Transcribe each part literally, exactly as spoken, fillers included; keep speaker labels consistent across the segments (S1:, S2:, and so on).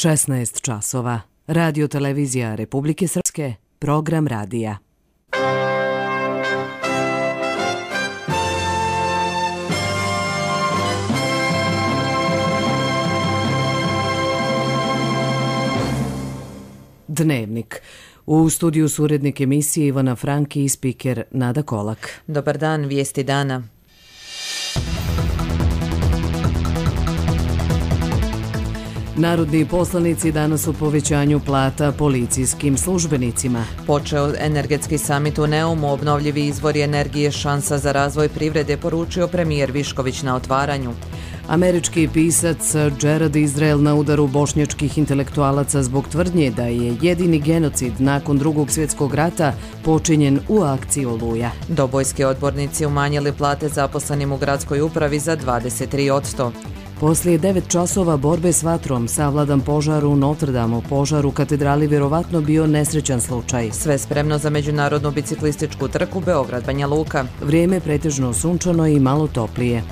S1: šesnaest časova. Radio televizija Republike Srpske, program radija. Dnevnik. U studiju su urednik emisije Ivana Franki i spiker Nada Kolak.
S2: Dobar dan, vijesti dana.
S1: Narodni poslanici danas u povećanju plata policijskim službenicima.
S2: Počeo energetski samit u Neumu, obnovljivi izvori energije šansa za razvoj privrede, poručio premijer Višković na otvaranju.
S1: Američki pisac Gerard Israel na udaru bošnjačkih intelektualaca zbog tvrdnje da je jedini genocid nakon drugog svjetskog rata počinjen u akciji Oluja.
S2: Dobojski odbornici umanjili plate zaposlenim u gradskoj upravi za dvadeset tri posto.
S1: Poslije devet časova borbe s vatrom savladan požar u Notre Dame, požar u katedrali vjerovatno bio nesrećan slučaj.
S2: Sve spremno za međunarodnu biciklističku trku Beograd-Banja Luka.
S1: Vrijeme pretežno sunčano i malo toplije.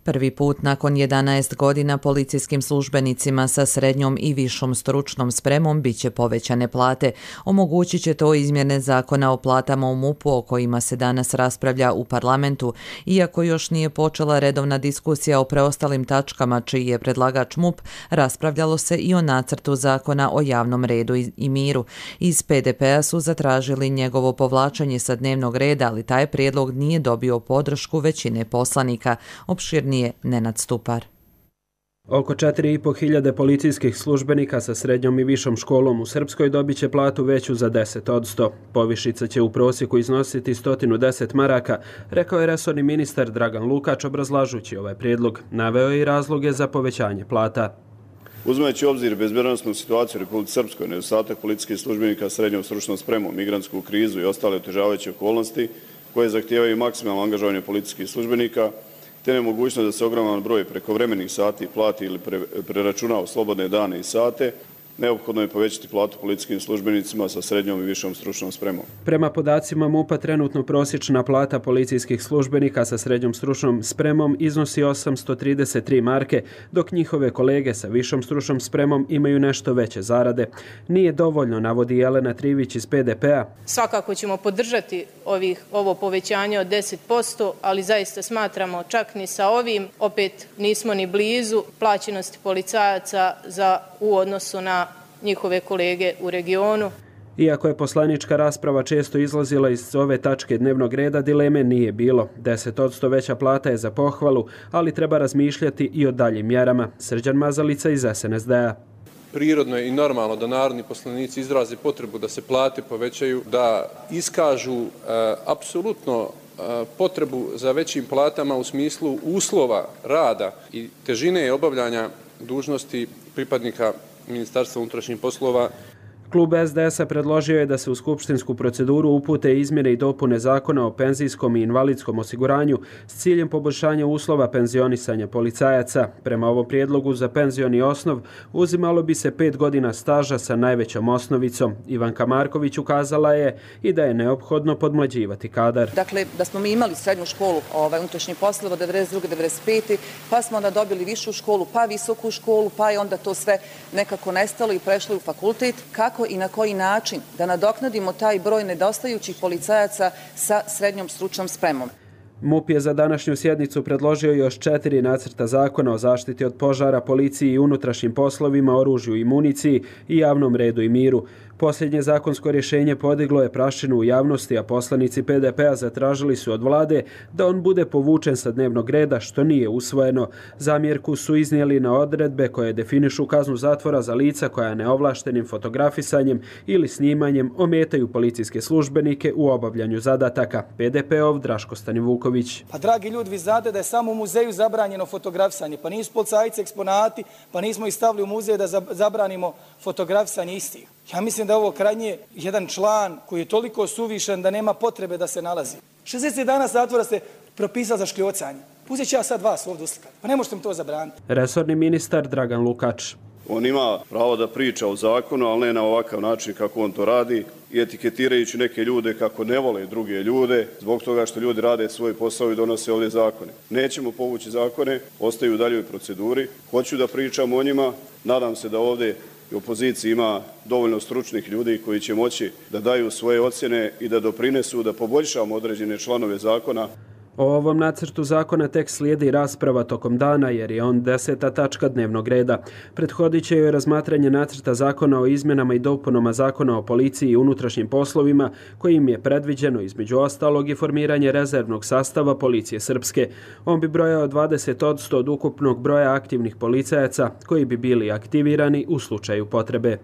S2: Prvi put nakon jedanaest godina policijskim službenicima sa srednjom i višom stručnom spremom biće povećane plate. Omogućit će to izmjene zakona o platama u MUP-u o kojima se danas raspravlja u parlamentu. Iako još nije počela redovna diskusija o preostalim tačkama čiji je predlagač MUP, raspravljalo se i o nacrtu zakona o javnom redu i miru. Iz P D P-a su zatražili njegovo povlačenje sa dnevnog reda, ali taj prijedlog nije dobio podršku većine poslanika. Opširni je Nenad Stupar.
S3: Oko četiri i po hiljade policijskih službenika sa srednjom i višom školom u Srpskoj dobit će platu veću za deset posto. Povišica će u prosjeku iznositi sto deset maraka, rekao je resorni ministar Dragan Lukač obrazlažući ovaj prijedlog. Naveo je i razloge za povećanje plata.
S4: Uzimajući u obzir bezbednosnu situaciju u Republici Srpskoj, nedostatak policijskih službenika s srednjom stručnom spremom, migrantsku krizu i ostale otežavajuće okolnosti koje zahtijevaju maksimalno angažovanje policijskih službenika, te nemogućnost da se ogroman broj prekovremenih sati plati ili pre, preračuna u slobodne dane i sate, neophodno je povećati platu policijskim službenicima sa srednjom i višom stručnom spremom.
S3: Prema podacima MUP-a trenutno prosječna plata policijskih službenika sa srednjom stručnom spremom iznosi osamsto trideset tri marke, dok njihove kolege sa višom stručnom spremom imaju nešto veće zarade. Nije dovoljno, navodi Jelena Trivić iz P D P-a.
S5: Svakako ćemo podržati ovih, ovo povećanje od deset posto, ali zaista smatramo čak ni sa ovim, opet nismo ni blizu plaćenosti policajaca za u odnosu na njihove kolege u regionu.
S3: Iako je poslanička rasprava često izlazila iz ove tačke dnevnog reda, dileme nije bilo. deset posto veća plata je za pohvalu, ali treba razmišljati i o daljim mjerama. Srđan Mazalica iz S N S D-a.
S6: Prirodno je i normalno da narodni poslanici izraze potrebu da se plate povećaju, da iskažu e, apsolutno e, potrebu za većim platama u smislu uslova rada i težine obavljanja dužnosti pripadnika Ministarstva unutrašnjih poslova.
S3: Klub S D S-a predložio je da se u skupštinsku proceduru upute izmjene i dopune zakona o penzijskom i invalidskom osiguranju s ciljem poboljšanja uslova penzionisanja policajaca. Prema ovom prijedlogu za penzioni osnov uzimalo bi se pet godina staža sa najvećom osnovicom. Ivanka Marković ukazala je i da je neophodno podmlađivati kadar.
S7: Dakle, da smo mi imali srednju školu ovaj, unutrašnjih poslova devedeset druge do devedeset pete pa smo onda dobili višu školu, pa visoku školu, pa je onda to sve nekako nestalo i prešlo u fakultet. Kako i na koji način da nadoknadimo taj broj nedostajućih policajaca sa srednjom stručnom spremom.
S3: MUP je za današnju sjednicu predložio još četiri nacrta zakona o zaštiti od požara, policiji i unutrašnjim poslovima, oružju i municiji i javnom redu i miru. Posljednje zakonsko rješenje podiglo je prašinu u javnosti, a poslanici P D P-a zatražili su od vlade da on bude povučen sa dnevnog reda, što nije usvojeno. Zamjerku su iznijeli na odredbe koje definišu kaznu zatvora za lica koja neovlaštenim fotografisanjem ili snimanjem ometaju policijske službenike u obavljanju zadataka. P D P-ov Draško Stanivuković.
S8: Pa dragi ljudi, vi znate da je samo u muzeju zabranjeno fotografisanje, pa nisu policajci eksponati, pa nismo ih stavili u muzej da zabranimo fotografisanje istih. Ja mislim da je ovo krajnje jedan član koji je toliko suvišan da nema potrebe da se nalazi. šezdeset dana zatvora ste propisali za škljocanje. Uzet ću ja sad vas ovdje uslikati. Pa ne možete mi to zabraniti.
S3: Resorni ministar Dragan Lukač.
S4: On ima pravo da priča o zakonu, ali ne na ovakav način kako on to radi i etiketirajući neke ljude kako ne vole druge ljude zbog toga što ljudi rade svoj posao i donose ovdje zakone. Nećemo povući zakone, ostaju u daljoj proceduri. Hoću da pričam o njima, nadam se da ovdje u opoziciji ima dovoljno stručnih ljudi koji će moći da daju svoje ocjene i da doprinesu da poboljšamo određene članove zakona.
S3: O ovom nacrtu zakona tek slijedi rasprava tokom dana jer je on deseta tačka dnevnog reda. Prethodit će joj razmatranje nacrta zakona o izmjenama i dopunama zakona o policiji i unutrašnjim poslovima kojim je predviđeno između ostalog i formiranje rezervnog sastava policije srpske. On bi brojao dvadeset posto od ukupnog broja aktivnih policajaca koji bi bili aktivirani u slučaju potrebe.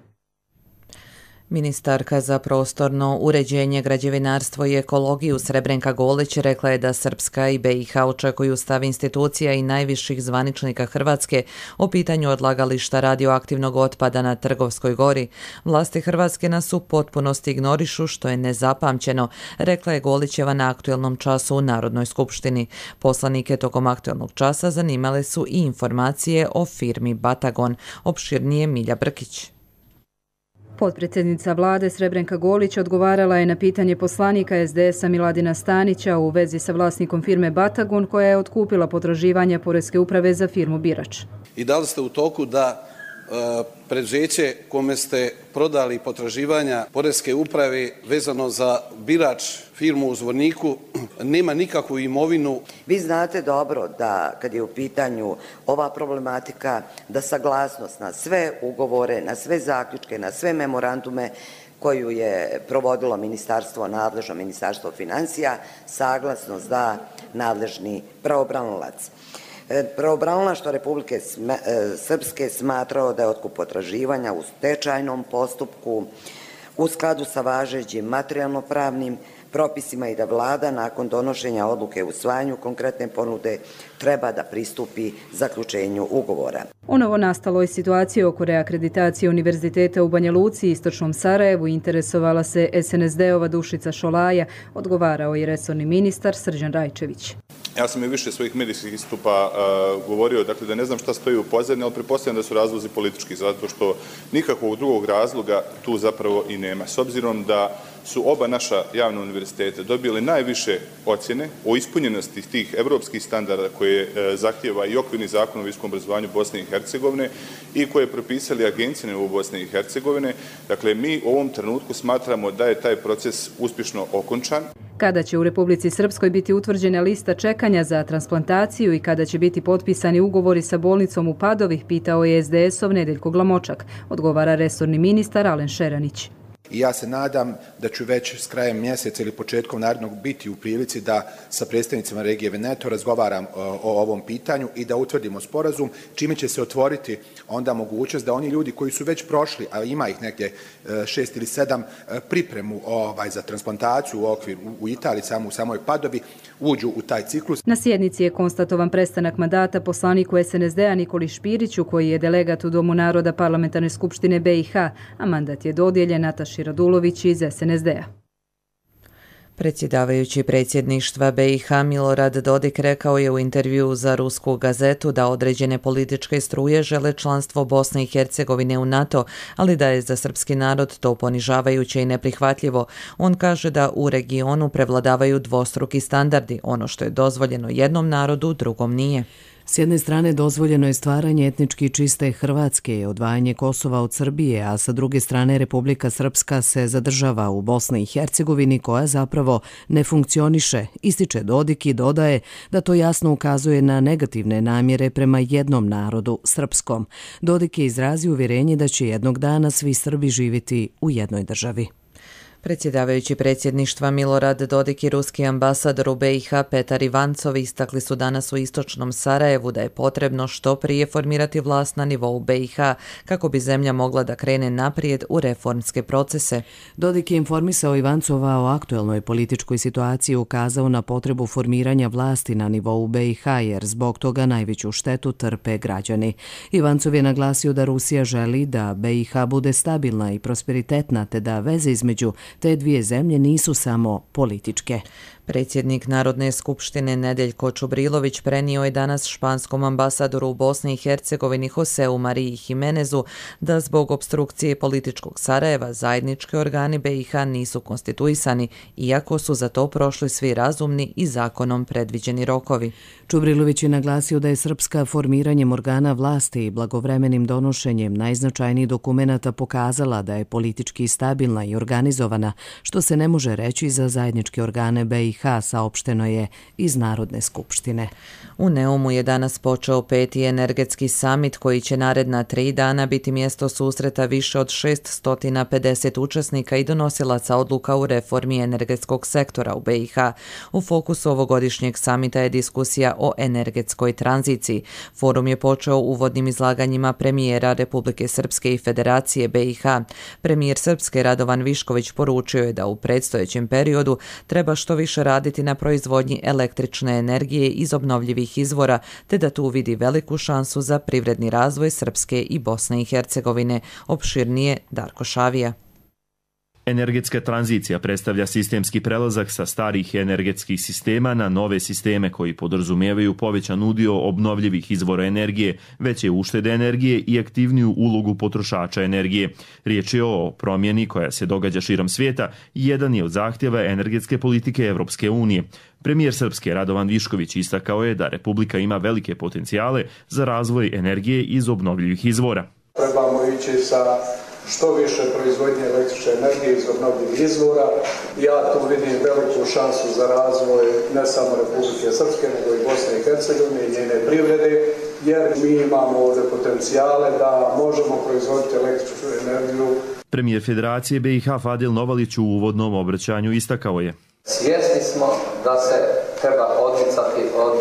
S2: Ministarka za prostorno uređenje, građevinarstvo i ekologiju Srebrenka Golić rekla je da Srpska i B i H očekuju stav institucija i najviših zvaničnika Hrvatske o pitanju odlagališta radioaktivnog otpada na Trgovskoj gori. Vlasti Hrvatske nas u potpunosti ignorišu, što je nezapamćeno, rekla je Golićeva na aktuelnom času u Narodnoj skupštini. Poslanike tokom aktuelnog časa zanimale su i informacije o firmi Batagon. Opširnije Milja Brkić.
S9: Potpredsjednica vlade Srebrenka Golić odgovarala je na pitanje poslanika es de esa Miladina Stanića u vezi sa vlasnikom firme Batagon koja je otkupila potraživanja Poreske uprave za firmu Birač.
S10: I da li ste u toku da e, preduzeće kome ste prodali potraživanja Poreske uprave vezano za Birač, firmu u Zvorniku, nema nikakvu imovinu?
S11: Vi znate dobro da kad je u pitanju ova problematika, da saglasnost na sve ugovore, na sve zaključke, na sve memorandume koju je provodilo ministarstvo, nadležno ministarstvo financija, saglasnost da nadležni pravobranilac. Pravobranilaštvo Republike Srpske smatrao da je otkup potraživanja u stečajnom postupku u skladu sa važećim materijalno-pravnim propisima i da vlada nakon donošenja odluke o usvajanju konkretne ponude treba da pristupi zaključenju ugovora.
S9: O novonastaloj situaciji oko reakreditacije Univerziteta u Banja Luci i Istočnom Sarajevu interesovala se es en es de-ova Dušica Šolaja, odgovarao je resorni ministar Srđan Rajčević.
S12: Ja sam i više svojih medijskih istupa uh, govorio, dakle da ne znam šta stoji u pozadini, ali pretpostavljam da su razlozi politički, zato što nikakvog drugog razloga tu zapravo i nema. S obzirom da su oba naša javna univerziteta dobili najviše ocjene o ispunjenosti tih evropskih standarda koje e, zahtjeva i okvirni zakon o visokom obrazovanju Bosne i Hercegovine i koje je propisali agencije u Bosne i Hercegovine. Dakle, mi u ovom trenutku smatramo da je taj proces uspješno okončan.
S9: Kada će u Republici Srpskoj biti utvrđena lista čekanja za transplantaciju i kada će biti potpisani ugovori sa bolnicom u Padovi, pitao je es de es-ov Nedeljko Glamočak, odgovara resorni ministar Alen Šeranić.
S13: I ja se nadam da ću već s krajem mjeseca ili početkom narednog biti u prilici da sa predstavnicima regije Veneto razgovaram o ovom pitanju i da utvrdimo sporazum, čime će se otvoriti onda mogućnost da oni ljudi koji su već prošli, a ima ih negdje šest ili sedam, pripremu ovaj, za transplantaciju u okvir u Italiji, samo u samoj Padovi, uđu u taj ciklus.
S9: Na sjednici je konstatovan prestanak mandata poslaniku es en es de-a Nikoli Špiriću, koji je delegat u Domu naroda Parlamentarne skupštine be i ha, a mandat je dodijeljen Nataši Radulović iz es en es de-a.
S2: Predsjedavajući predsjedništva be i ha Milorad Dodik rekao je u intervjuu za rusku gazetu da određene političke struje žele članstvo Bosne i Hercegovine u NATO, ali da je za srpski narod to ponižavajuće i neprihvatljivo. On kaže da u regionu prevladavaju dvostruki standardi, ono što je dozvoljeno jednom narodu, drugom nije.
S1: S jedne strane dozvoljeno je stvaranje etnički čiste Hrvatske, odvajanje Kosova od Srbije, a sa druge strane Republika Srpska se zadržava u Bosni i Hercegovini koja zapravo ne funkcioniše, ističe Dodik i dodaje da to jasno ukazuje na negativne namjere prema jednom narodu, srpskom. Dodik je izrazio uvjerenje da će jednog dana svi Srbi živjeti u jednoj državi.
S2: Predsjedavajući predsjedništva Milorad Dodik i ruski ambasador u be i ha Petar Ivancov istakli su danas u Istočnom Sarajevu da je potrebno što prije formirati vlast na nivou be i ha kako bi zemlja mogla da krene naprijed u reformske procese.
S1: Dodik je informisao Ivancova o aktuelnoj političkoj situaciji i ukazao na potrebu formiranja vlasti na nivou be i ha jer zbog toga najveću štetu trpe građani. Ivancov je naglasio da Rusija želi da be i ha bude stabilna i prosperitetna te da veze između te dvije zemlje nisu samo političke.
S2: Predsjednik Narodne skupštine Nedeljko Čubrilović prenio je danas španskom ambasadoru u Bosni i Hercegovini Joseu Mariji Jimenezu da zbog opstrukcije političkog Sarajeva zajednički organi B i H nisu konstituisani, iako su za to prošli svi razumni i zakonom predviđeni rokovi.
S1: Čubrilović je naglasio da je Srpska formiranjem organa vlasti i blagovremenim donošenjem najznačajnijih dokumenata pokazala da je politički stabilna i organizovana, što se ne može reći za zajedničke organe B i H, saopšteno je iz Narodne skupštine.
S2: U Neumu je danas počeo peti energetski samit koji će naredna tri dana biti mjesto susreta više od šeststo pedeset učesnika i donosilaca odluka u reformi energetskog sektora u B i H. U fokusu ovogodišnjeg samita je diskusija o energetskoj tranziciji. Forum je počeo uvodnim izlaganjima premijera Republike Srpske i Federacije B i H. Premijer Srpske Radovan Višković poručio je da u predstojećem periodu treba što više raditi na proizvodnji električne energije iz obnovljivih izvora, te da tu vidi veliku šansu za privredni razvoj Srpske i Bosne i Hercegovine. Opširnije Darko Šavija.
S14: Energetska tranzicija predstavlja sistemski prelazak sa starih energetskih sistema na nove sisteme koji podrazumijevaju povećan udio obnovljivih izvora energije, veće uštede energije i aktivniju ulogu potrošača energije. Riječ je o promjeni koja se događa širom svijeta i jedan je od zahtjeva energetske politike Evropske unije. Premijer Srpske Radovan Višković istakao je da Republika ima velike potencijale za razvoj energije iz obnovljivih izvora.
S15: Trebamo ići sa što više proizvodnje električne energije iz obnovljivih izvora. Ja tu vidim veliku šansu za razvoj ne samo Republike Srpske, nego i Bosne i Hercegovine i njene privrede, jer mi imamo ovdje potencijale da možemo proizvoditi električnu energiju.
S14: Premijer Federacije B i H Fadil Novalić u uvodnom obraćanju istakao je:
S16: svjesni smo da se treba odmicati od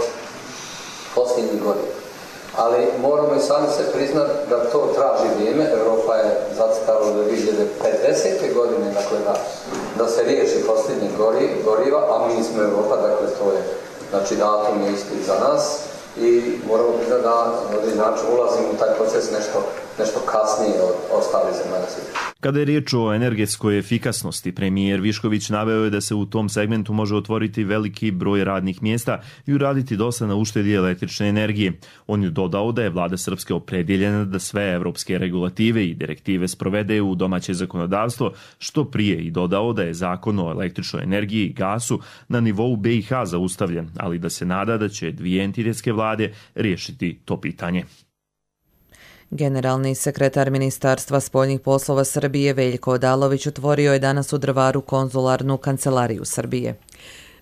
S16: posljednjih godina, ali moramo i sami se priznati da to traži vrijeme. Europa je zacrtala do dvije hiljade pedesete godine, dakle da, da se riješi posljednje goriva, a mi smo Europa, dakle to je, znači datum je isti za nas i moramo priznati da na određen način ulazimo u taj proces nešto, nešto kasnije od ostalih zemalja svijeta.
S14: Kada je riječ o energetskoj efikasnosti, premijer Višković naveo je da se u tom segmentu može otvoriti veliki broj radnih mjesta i uraditi dosta na uštedi električne energije. On je dodao da je vlada Srpske opredjeljena da sve evropske regulative i direktive sprovede u domaće zakonodavstvo što prije i dodao da je zakon o električnoj energiji i gasu na nivou B i H zaustavljen, ali da se nada da će dvije entitetske vlade riješiti to pitanje.
S2: Generalni sekretar Ministarstva spoljnih poslova Srbije Veljko Odalović otvorio je danas u Drvaru konzularnu kancelariju Srbije.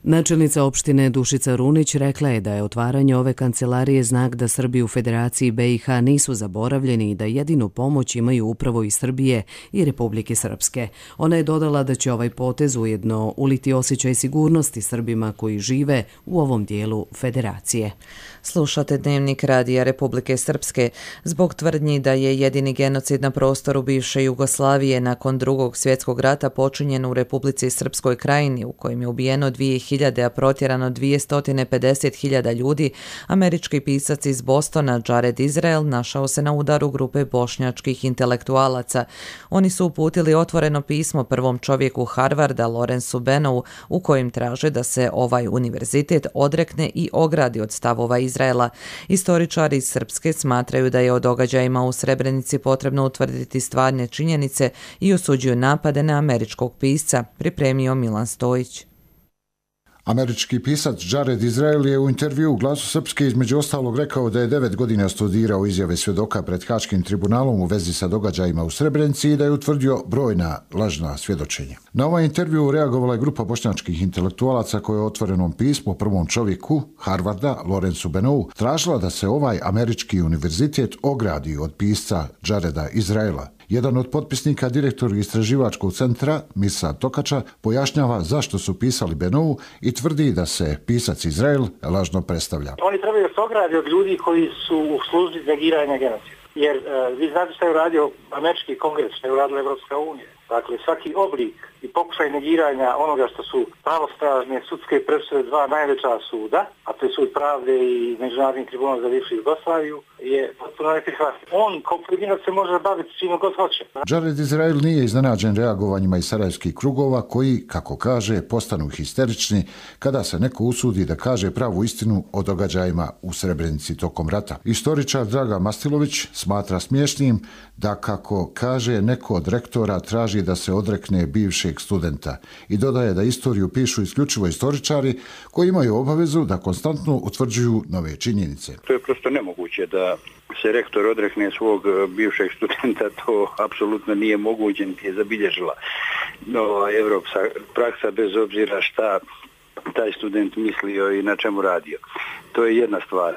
S1: Načelnica opštine Dušica Runić rekla je da je otvaranje ove kancelarije znak da Srbi u Federaciji B i H nisu zaboravljeni i da jedinu pomoć imaju upravo i Srbije i Republike Srpske. Ona je dodala da će ovaj potez ujedno uliti osjećaj sigurnosti Srbima koji žive u ovom dijelu Federacije.
S2: Slušate Dnevnik Radija Republike Srpske. Zbog tvrdnji da je jedini genocid na prostoru bivše Jugoslavije nakon drugog svjetskog rata počinjen u Republici Srpskoj Krajini, u kojem je ubijeno dvije hiljade, a protjerano dvjesto pedeset hiljada ljudi, američki pisac iz Bostona Jared Israel našao se na udaru grupe bošnjačkih intelektualaca. Oni su uputili otvoreno pismo prvom čovjeku Harvarda, Lorensu Benovu, u kojem traže da se ovaj univerzitet odrekne i ogradi od stavova Izraela. Istoričari iz Srpske smatraju da je o događajima u Srebrenici potrebno utvrditi stvarne činjenice i osuđuju napade na američkog pisca, pripremio Milan Stojić.
S17: Američki pisac Jared Israel je u intervju u Glasu Srpske između ostalog rekao da je devet godina studirao izjave svjedoka pred Haškim tribunalom u vezi sa događajima u Srebrenici i da je utvrdio brojna lažna svjedočenja. Na ovaj intervju reagovala je grupa bošnjačkih intelektualaca koja je u otvorenom pismu prvom čovjeku Harvarda, Lorensu Benovu, tražila da se ovaj američki univerzitet ogradi od pisca Jareda Israela. Jedan od potpisnika, direktor istraživačkog centra, Mirsa Tokača, pojašnjava zašto su pisali Benovu i tvrdi da se pisac Izrael lažno predstavlja.
S18: Oni trebaju da se ograde od ljudi koji su u službi negiranja genocida. Jer uh, vi znate što je uradio američki kongres, što je uradila Evropska unija. Dakle, svaki oblik i pokušaj negiranja onoga što su pravostražne sudske presude dva najveća suda, a to je Sud pravde i Međunarodni tribunal za bivšu Jugoslaviju, je potpuno neprihvatljiv. On kao pojedinac se može baviti čime god hoće.
S17: Jared Izrael nije iznenađen reagovanjima iz sarajevskih krugova koji, kako kaže, postanu histerični kada se neko usudi da kaže pravu istinu o događajima u Srebrenici tokom rata. Istoričar Draga Mastilović smatra smiješnim da, kako kaže, neko od rektora traži da se odrekne bivšeg studenta i dodaje da istoriju pišu isključivo istoričari koji imaju obavezu da konstantno utvrđuju nove činjenice.
S19: To je prosto nemoguće da se rektor odrekne svog bivšeg studenta, to apsolutno nije moguće, niti je zabilježila nova evropska praksa, bez obzira šta taj student mislio i na čemu radio. To je jedna stvar.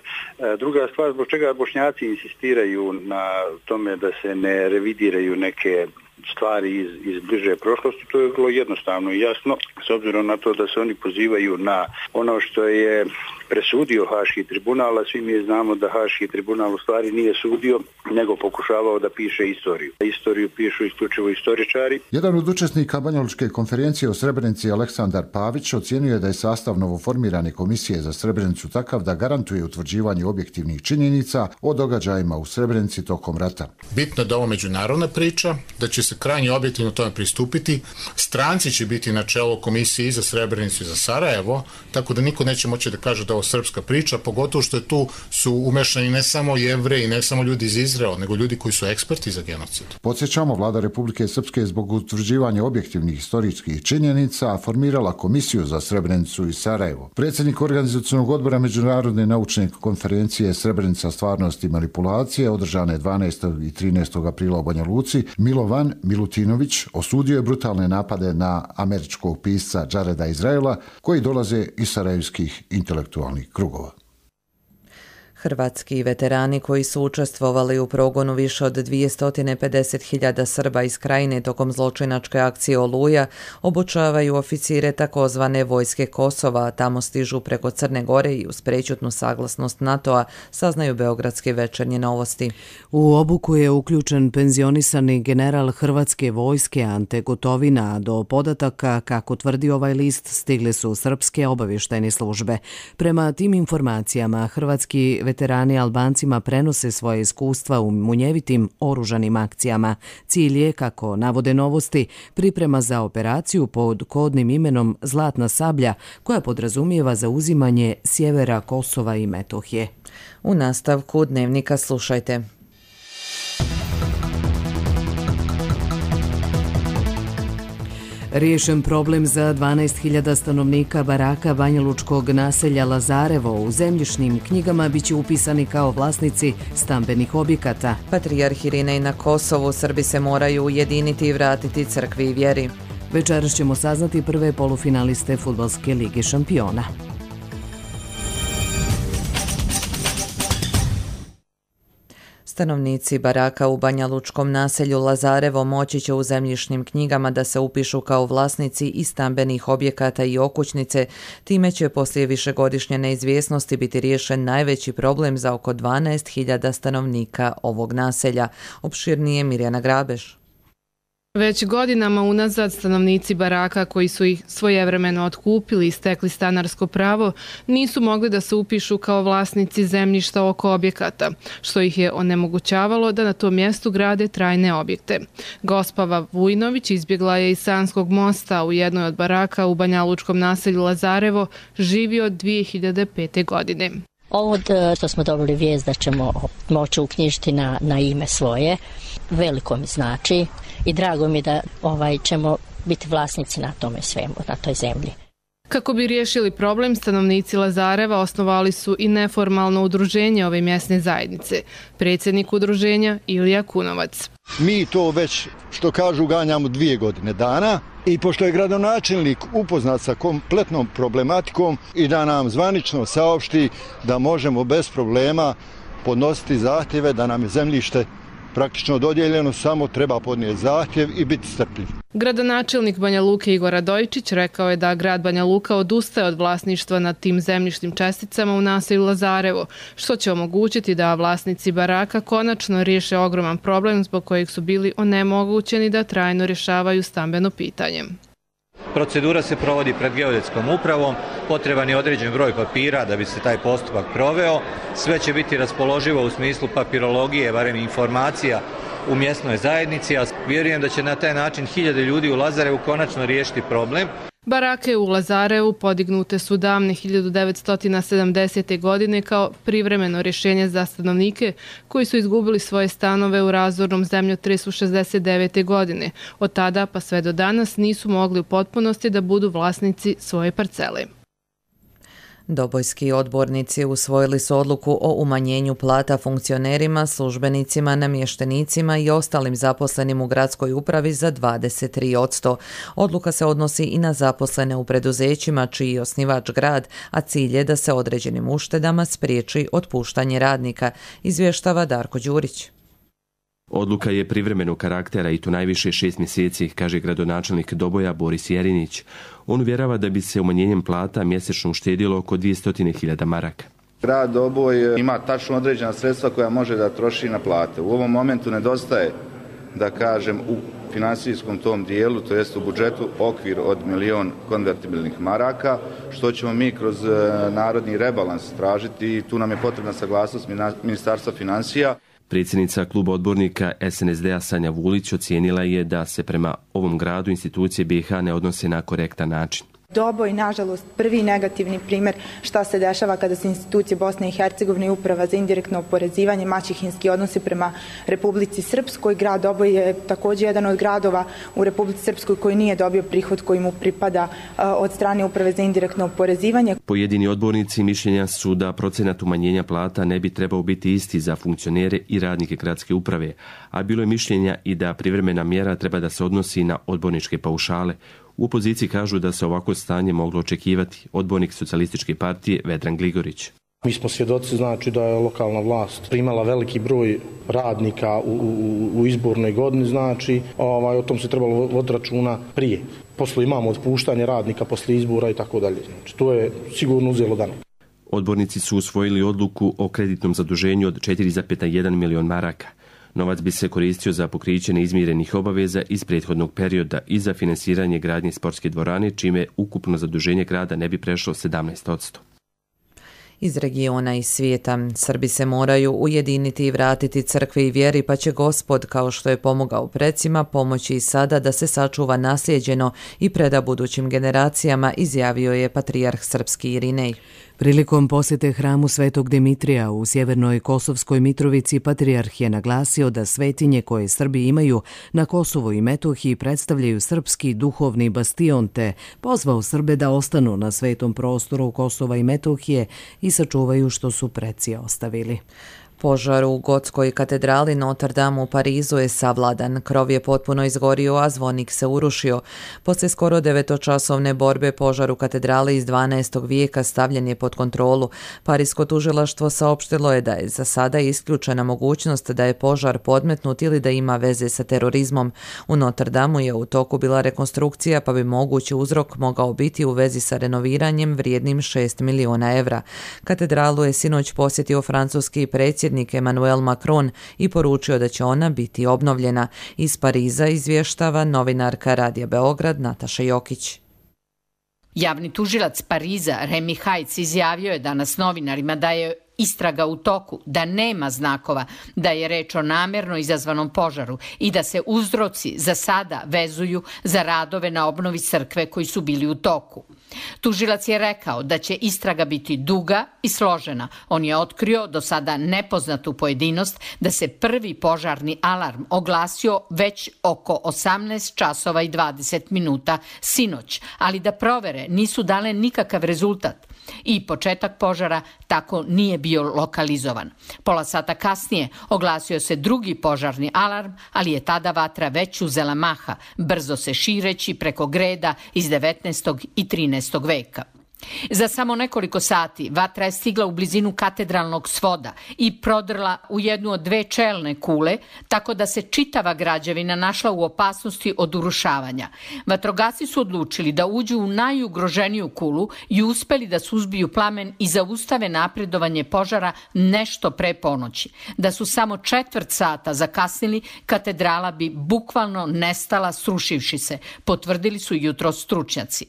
S19: Druga stvar, zbog čega Bošnjaci insistiraju na tome da se ne revidiraju neke stvari iz, iz bliže prošlosti, to je vrlo jednostavno i jasno, s obzirom na to da se oni pozivaju na ono što je presudio Haški tribunal, a svi mi znamo da Haški tribunal u stvari nije sudio, nego pokušavao da piše istoriju. Istoriju pišu isključivo istoričari.
S17: Jedan od učesnika Banjalučke konferencije o Srebrenici, Aleksandar Pavić, ocjenjuje da je sastav novoformirane komisije za Srebrenicu takav da garantuje utvrđivanje objektivnih činjenica o događajima u Srebrenici tokom rata.
S20: Bitno je da ovo međunarodna priča, da će se krajnje objektivno tome pristupiti. Stranci će biti na čelu komisije i za Srebrenicu i za Sarajevo, tako da niko neće moći da kaže da ovo srpska priča, pogotovo što je tu su umešani ne samo Jevreji, ne samo ljudi iz Izraela, nego ljudi koji su eksperti za genocid.
S17: Podsjećamo, vlada Republike Srpske zbog utvrđivanja objektivnih historijskih činjenica formirala komisiju za Srebrenicu i Sarajevo. Predsjednik organizacionog odbora Međunarodne naučne konferencije Srebrenica, stvarnost i manipulacije, održane dvanaestog i trinaestog aprila u Banja Luci, Milovan Milutinović osudio je brutalne napade na američkog pisca Jareda Izraela, koji dolaze iz sarajevskih intelektualnih krugova.
S2: Hrvatski veterani koji su učestvovali u progonu više od dvjesto pedeset hiljada Srba iz Krajine tokom zločinačke akcije Oluja obučavaju oficire takozvane vojske Kosova, a tamo stižu preko Crne Gore i uz prećutnu saglasnost NATO-a, saznaju beogradske Večernje novosti.
S1: U obuku je uključen penzionisani general Hrvatske vojske Ante Gotovina, a do podataka, kako tvrdi ovaj list, stigle su srpske obavještajne službe. Prema tim informacijama, hrvatski veterani Albancima prenose svoje iskustva u munjevitim oružanim akcijama. Cilj je, kako navode novosti, priprema za operaciju pod kodnim imenom Zlatna sablja, koja podrazumijeva zauzimanje sjevera Kosova i Metohije.
S2: U nastavku Dnevnika slušajte.
S1: Riješen problem za dvanaest hiljada stanovnika baraka banjalučkog naselja Lazarevo. U zemljišnim knjigama biće upisani kao vlasnici stambenih objekata.
S2: Patrijarh Irinej na Kosovu, Srbi se moraju ujediniti i vratiti crkvi i vjeri.
S1: Večeras ćemo saznati prve polufinaliste Fudbalske lige šampiona.
S2: Stanovnici baraka u banjalučkom naselju Lazarevo moći će u zemljišnim knjigama da se upišu kao vlasnici i stambenih objekata i okućnice. Time će poslije višegodišnje neizvjesnosti biti riješen najveći problem za oko dvanaest hiljada stanovnika ovog naselja. Opširnije Mirjana Grabeš.
S21: Već godinama unazad stanovnici baraka koji su ih svojevremeno otkupili i stekli stanarsko pravo nisu mogli da se upišu kao vlasnici zemljišta oko objekata, što ih je onemogućavalo da na tom mjestu grade trajne objekte. Gospava Vujnović izbjegla je iz Sanskog mosta u jednoj od baraka u banjalučkom naselju Lazarevo, živi od dvije hiljade pete. godine.
S22: Ovo što smo dobili vijest da ćemo moći uknjižiti na, na ime svoje, veliko mi znači i drago mi da ovaj, ćemo biti vlasnici na tome svemu, na toj zemlji.
S21: Kako bi riješili problem, stanovnici Lazareva osnovali su i neformalno udruženje ove mjesne zajednice. Predsjednik udruženja Ilija Kunovac.
S23: Mi to već, što kažu, ganjamo dvije godine dana i pošto je gradonačelnik upoznat sa kompletnom problematikom i da nam zvanično saopšti da možemo bez problema podnositi zahtjeve da nam je zemljište praktično dodijeljeno, samo treba podnijeti zahtjev i biti strpljiv.
S21: Gradonačelnik Banja Luke Igor Radojičić rekao je da grad Banja Luka odustaje od vlasništva nad tim zemljišnim česticama u naselju Lazarevo, što će omogućiti da vlasnici baraka konačno riješe ogroman problem zbog kojeg su bili onemogućeni da trajno rješavaju stambeno pitanje.
S5: Procedura se provodi pred geodetskom upravom, potreban je određen broj papira da bi se taj postupak proveo. Sve će biti raspoloživo u smislu papirologije, barem informacija u mjesnoj zajednici, a vjerujem da će na taj način hiljade ljudi u Lazarevu konačno riješiti problem.
S21: Barake u Lazarevu podignute su davne hiljadu devetsto sedamdesete. godine kao privremeno rješenje za stanovnike koji su izgubili svoje stanove u razornom zemljotresu šezdeset devete. godine. Od tada pa sve do danas nisu mogli u potpunosti da budu vlasnici svoje parcele.
S2: Dobojski odbornici usvojili su odluku o umanjenju plata funkcionerima, službenicima, namještenicima i ostalim zaposlenim u gradskoj upravi za dvadeset tri posto. Odluka se odnosi i na zaposlene u preduzećima čiji je osnivač grad, a cilj je da se određenim uštedama spriječi otpuštanje radnika, izvještava Darko Đurić.
S6: Odluka je privremenog karaktera i to najviše šest mjeseci, kaže gradonačelnik Doboja Boris Jerinić. On uvjerava da bi se umanjenjem plata mjesečno uštedilo oko dvjesto hiljada maraka.
S7: Grad Doboj ima tačno određena sredstva koja može da troši na plate. U ovom momentu nedostaje, da kažem, u financijskom tom dijelu, to jest u budžetu, okvir od milion konvertibilnih maraka, što ćemo mi kroz narodni rebalans tražiti i tu nam je potrebna saglasnost Ministarstva financija.
S6: Predsjednica kluba odbornika S N S D-a Sanja Vulić ocijenila je da se prema ovom gradu institucije B i H ne odnose na korektan način.
S24: Doboj, nažalost, prvi negativni primjer šta se dešava kada se institucije Bosne i Hercegovine i uprava za indirektno oporezivanje maćehinski odnosi prema Republici Srpskoj. Grad Doboj je također jedan od gradova u Republici Srpskoj koji nije dobio prihod koji mu pripada od strane uprave za indirektno oporezivanje.
S6: Pojedini odbornici mišljenja su da procenat umanjenja plata ne bi trebao biti isti za funkcionere i radnike gradske uprave, a bilo je mišljenja i da privremena mjera treba da se odnosi na odborničke paušale. U opoziciji kažu da se ovako stanje moglo očekivati. Odbornik Socijalističke partije Vedran Gligorić.
S25: Mi smo svjedoci, znači, da je lokalna vlast primala veliki broj radnika u, u, u izbornoj godini, znači ovaj, o tom se trebalo voditi računa prije. Poslije imamo otpuštanje radnika poslije izbora i tako dalje. Znači, to je sigurno uzelo dana.
S6: Odbornici su usvojili odluku o kreditnom zaduženju od četiri zarez jedan milion maraka. Novac bi se koristio za pokriće neizmirenih obaveza iz prethodnog perioda i za finansiranje gradnje sportske dvorane, čime ukupno zaduženje grada ne bi prešlo sedamnaest posto.
S2: Iz regiona i svijeta Srbi se moraju ujediniti i vratiti crkvi i vjeri, pa će Gospod, kao što je pomogao precima, pomoći i sada da se sačuva naslijeđeno i preda budućim generacijama, izjavio je patrijarh srpski Irinej.
S1: Prilikom posjete hramu Svetog Dimitrija u sjevernoj Kosovskoj Mitrovici, patrijarh je naglasio da svetinje koje Srbi imaju na Kosovu i Metohiji predstavljaju srpski duhovni bastion, te pozvao Srbe da ostanu na svetom prostoru Kosova i Metohije i sačuvaju što su preci ostavili.
S2: Požar u Gotskoj katedrali Notre Dame u Parizu je savladan. Krov je potpuno izgorio, a zvonik se urušio. Poslije skoro devetočasovne borbe požar u katedrali iz dvanaestog vijeka stavljen je pod kontrolu. Parisko tužilaštvo saopštilo je da je za sada isključena mogućnost da je požar podmetnut ili da ima veze sa terorizmom. U Notre Dameu je u toku bila rekonstrukcija, pa bi mogući uzrok mogao biti u vezi sa renoviranjem vrijednim šest miliona evra. Katedralu je sinoć posjetio francuski predsjednik Emmanuel Macron i poručio da će ona biti obnovljena. Iz Pariza izvještava novinarka Radija Beograd Nataša Jokić.
S26: Javni tužilac Pariza Remi Hajc izjavio je danas novinarima da je istraga u toku, da nema znakova, da je reč o namjerno izazvanom požaru i da se uzroci za sada vezuju za radove na obnovi crkve koji su bili u toku. Tužilac je rekao da će istraga biti duga i složena. On je otkrio do sada nepoznatu pojedinost da se prvi požarni alarm oglasio već oko osamnaest časova i dvadeset minuta sinoć, ali da provere nisu dale nikakav rezultat. I početak požara tako nije bio lokalizovan. Pola sata kasnije oglasio se drugi požarni alarm, ali je tada vatra već uzela maha, brzo se šireći preko greda iz devetnaestog i trinaestog veka. Za samo nekoliko sati vatra je stigla u blizinu katedralnog svoda i prodrla u jednu od dve čelne kule, tako da se čitava građevina našla u opasnosti od urušavanja. Vatrogasci su odlučili da uđu u najugroženiju kulu i uspeli da suzbiju plamen i zaustave napredovanje požara nešto pre ponoći. Da su samo četvrt sata zakasnili, katedrala bi bukvalno nestala srušivši se, potvrdili su jutros stručnjaci.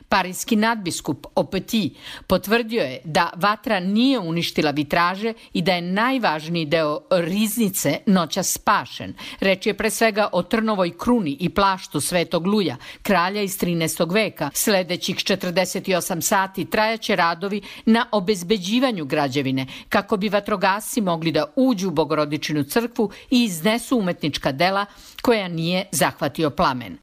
S26: Parijski nadbiskup Opeti potvrdio je da vatra nije uništila vitraže i da je najvažniji deo riznice noćas spašen. Reč je pre svega o trnovoj kruni i plaštu Svetog Luja, kralja iz trinaestog veka. Sledećih četrdeset osam sati trajaće radovi na obezbeđivanju građevine, kako bi vatrogasci mogli da uđu u Bogorodičinu crkvu i iznesu umetnička dela koja nije zahvatio plamen.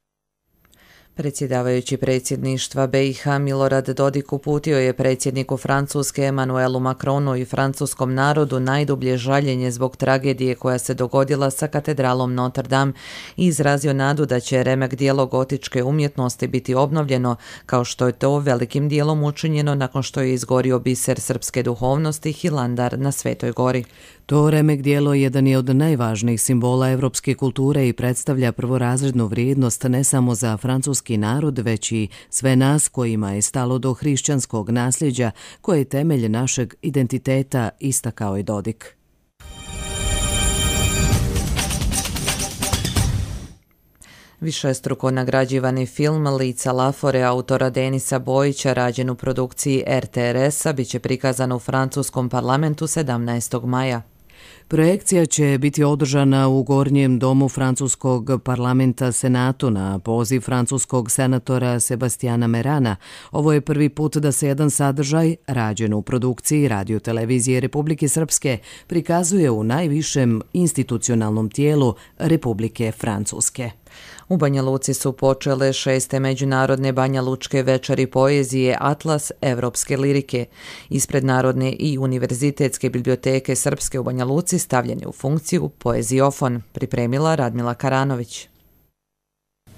S2: Predsjedavajući predsjedništva B i H Milorad Dodik uputio je predsjedniku Francuske Emmanuelu Macronu i francuskom narodu najdublje žaljenje zbog tragedije koja se dogodila sa katedralom Notre Dame i izrazio nadu da će remek dijelo gotičke umjetnosti biti obnovljeno, kao što je to velikim dijelom učinjeno nakon što je izgorio biser srpske duhovnosti Hilandar na Svetoj gori.
S1: To remek dijelo jedan je od najvažnijih simbola evropske kulture i predstavlja prvorazrednu vrijednost ne samo za francuski narod, već i sve nas kojima je stalo do hrišćanskog nasljeđa, koje je temelj našeg identiteta, istakao je Dodik.
S2: Višestruko nagrađivani film Lica Lafore autora Denisa Bojića, rađen u produkciji R T R S-a, bit će prikazan u francuskom parlamentu sedamnaestog maja.
S1: Projekcija će biti održana u Gornjem domu francuskog parlamenta Senatu na poziv francuskog senatora Sebastijana Merana. Ovo je prvi put da se jedan sadržaj, rađen u produkciji Radio-televizije Republike Srpske, prikazuje u najvišem institucionalnom tijelu Republike Francuske.
S2: U Banja Luci su počele šeste međunarodne Banja Lučke večeri poezije Atlas evropske lirike. Ispred Narodne i Univerzitetske biblioteke Srpske u Banja Luci stavljen je u funkciju poeziofon, pripremila Radmila Karanović.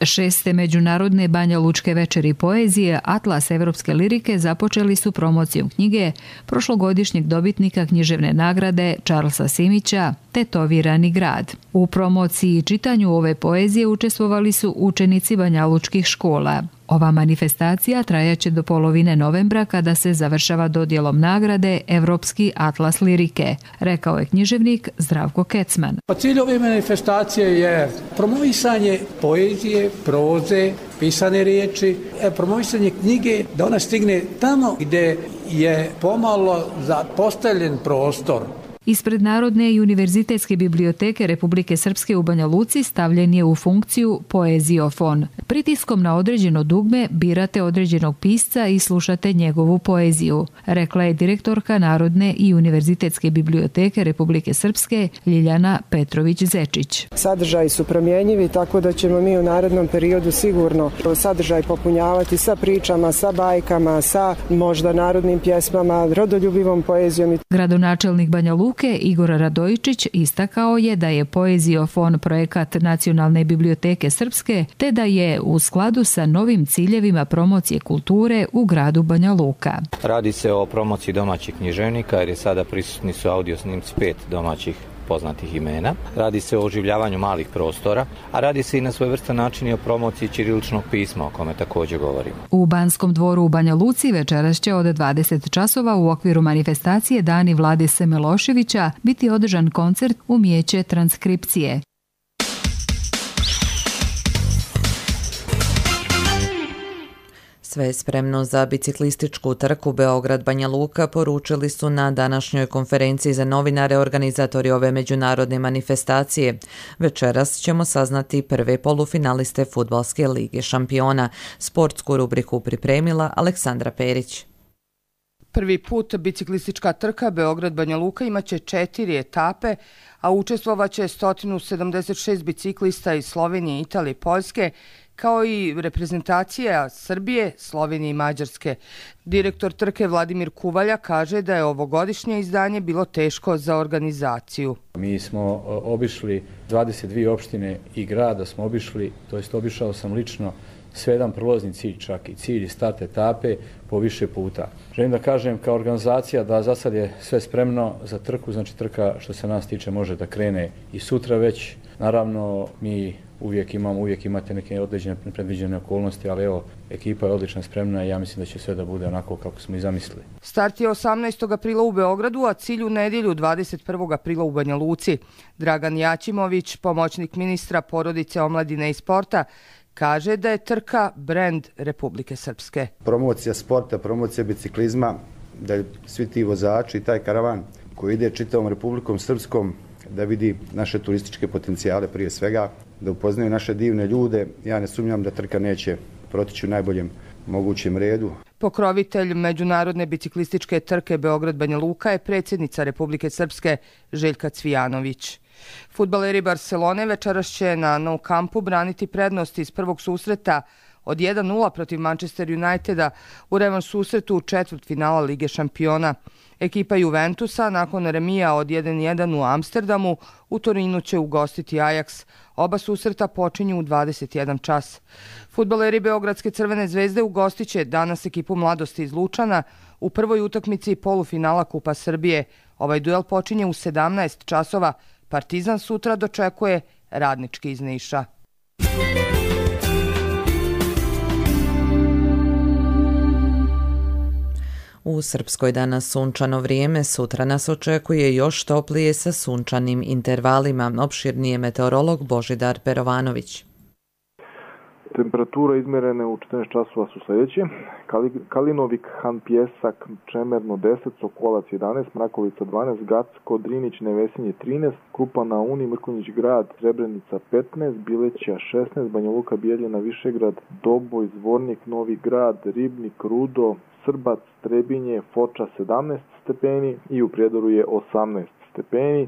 S3: Šeste međunarodne Banja Lučke večeri poezije Atlas evropske lirike započeli su promocijom knjige prošlogodišnjeg dobitnika književne nagrade Charlesa Simića Tetovirani grad. U promociji i čitanju ove poezije učestvovali su učenici Banja Lučkih škola. Ova manifestacija trajaće do polovine novembra kada se završava dodjelom nagrade Evropski atlas lirike, rekao je književnik Zdravko Kecman.
S4: Cilj ove manifestacije je promovisanje poezije, proze, pisane riječi, promovisanje knjige da ona stigne tamo gdje je pomalo zapostavljen prostor.
S3: Ispred Narodne i Univerzitetske biblioteke Republike Srpske u Banja Luci stavljen je u funkciju poeziofon. Pritiskom na određeno dugme birate određenog pisca i slušate njegovu poeziju, rekla je direktorka Narodne i Univerzitetske biblioteke Republike Srpske Ljiljana Petrović-Zečić.
S8: Sadržaji su promjenjivi, tako da ćemo mi u narednom periodu sigurno sadržaj popunjavati sa pričama, sa bajkama, sa možda narodnim pjesmama, rodoljubivom poezijom.
S3: Gradonačelnik Banja Luke Igor Radojičić istakao je da je poeziofon projekat Nacionalne biblioteke Srpske, te da je u skladu sa novim ciljevima promocije kulture u gradu Banja Luka.
S10: Radi se o promociji domaćih književnika jer je sada prisutni su audio snimci pet domaćih poznatih imena. Radi se o oživljavanju malih prostora, a radi se i na svojevrstan način i o promociji ćiriličnog pisma, o kome također govorimo.
S3: U Banskom dvoru u Banja Luci večeras će od dvadeset časova u okviru manifestacije Dani Vlade Semeloševića biti održan koncert Umijeće transkripcije.
S2: Sve je spremno za biciklističku trku Beograd-Banja Luka, poručili su na današnjoj konferenciji za novinare organizatori ove međunarodne manifestacije. Večeras ćemo saznati prve polufinaliste Fudbalske lige šampiona. Sportsku rubriku pripremila Aleksandra Perić.
S11: Prvi put biciklistička trka Beograd-Banja Luka imaće četiri etape, a učestvovaće sto sedamdeset šest biciklista iz Slovenije, Italije i Poljske, kao i reprezentacija Srbije, Slovenije i Mađarske. Direktor trke Vladimir Kuvalja kaže da je ovogodišnje izdanje bilo teško za organizaciju.
S12: Mi smo obišli dvadeset dvije opštine i grada smo obišli, to jest obišao sam lično
S9: sve jedan prolazni cilj, čak i cilj i start etape po više puta. Želim da kažem kao organizacija da za sad je sve spremno za trku, znači trka što se nas tiče može da krene i sutra već. Naravno mi uvijek imamo, uvijek imate neke određene predviđene okolnosti, ali evo, ekipa je odlično spremna i ja mislim da će sve da bude onako kako smo i zamislili.
S11: Start je osamnaestog aprila u Beogradu, a cilj u nedjelju dvadeset prvog aprila u Banja Luci. Dragan Jaćimović, pomoćnik ministra porodice, omladine i sporta, kaže da je trka brend Republike Srpske.
S12: Promocija sporta, promocija biciklizma, da svi ti vozači i taj karavan koji ide čitavom Republikom Srpskom da vidi naše turističke potencijale prije svega, da upoznaju naše divne ljude. Ja ne sumnjam da trka neće protići u najboljem mogućem redu.
S11: Pokrovitelj međunarodne biciklističke trke Beograd-Banja Luka je predsjednica Republike Srpske Željka Cvijanović. Fudbaleri Barcelone večeras će na Nou Campu braniti prednost iz prvog susreta od jedan nula protiv Manchester Uniteda u revanš susretu u četvrtfinala Lige šampiona. Ekipa Juventusa nakon remija od jedan jedan u Amsterdamu u Torinu će ugostiti Ajax. Oba susreta počinju u dvadeset jedan čas. Fudbaleri Beogradske Crvene zvezde ugostiće danas ekipu Mladosti iz Lučana u prvoj utakmici polufinala Kupa Srbije. Ovaj duel počinje u sedamnaest časova. Partizan sutra dočekuje Radnički iz Niša.
S2: U Srpskoj danas sunčano vrijeme, sutra nas očekuje još toplije sa sunčanim intervalima. Opširnije meteorolog Božidar Perovanović.
S13: Temperatura izmjerene u četrnaest časova su sljedeće. Kalinovik, Han Pjesak, Čemerno deset, Sokolac jedanaest, Mrakovica dvanaest, Gacko, Drinić, Nevesinje trinaest, Krupa na Uni, Mrkonjić grad, Srebrenica petnaest, Bileća šesnaest, Banja Luka, Bijeljina, Višegrad, Doboj, Zvornik, Novi grad, Ribnik, Rudo, Srbac, Trebinje, Foča sedamnaest stepeni i u Prijedoru je osamnaest stepeni.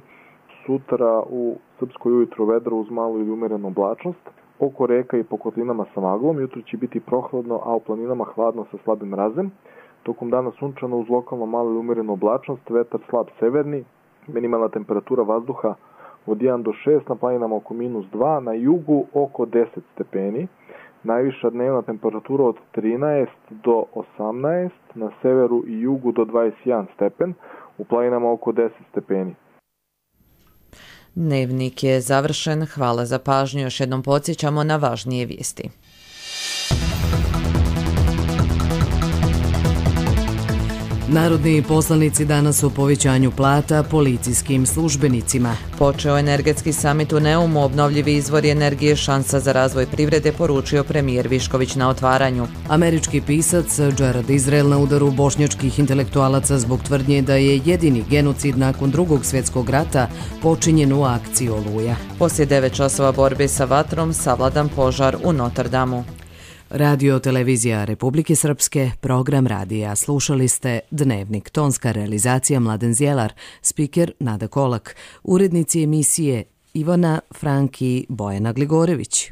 S13: Sutra u Srpskoj ujutro vedro uz malu ili umjerenu oblačnost. Oko reka i po kotlinama sa maglom. Jutro će biti prohladno, a u planinama hladno sa slabim mrazem. Tokom dana sunčano uz lokalno malu ili umjerenu oblačnost, vetar slab severni, minimalna temperatura vazduha od jedan do šest, na planinama oko minus dva, na jugu oko deset stepeni. Najviša dnevna temperatura od trinaest do osamnaest, na severu i jugu do dvadeset jedan stepen, u planinama oko deset stepeni.
S2: Dnevnik je završen. Hvala za pažnju. Još jednom podsjećamo na važnije vijesti.
S1: Narodni poslanici danas o povećanju plata policijskim službenicima.
S2: Počeo energetski samit u Neumu, obnovljivi izvori energije šansa za razvoj privrede, poručio premijer Višković na otvaranju.
S1: Američki pisac Jared Izrael na udaru bošnjačkih intelektualaca zbog tvrdnje da je jedini genocid nakon drugog svjetskog rata počinjen u akciji Oluja.
S2: Poslije devet časova borbe sa vatrom savladan požar u Notre Damu.
S1: Radio televizija Republike Srpske, program radija. Slušali ste Dnevnik, tonska realizacija Mladen Zjelar, spiker Nada Kolak, urednici emisije Ivana Franki, Bojana Gligorević.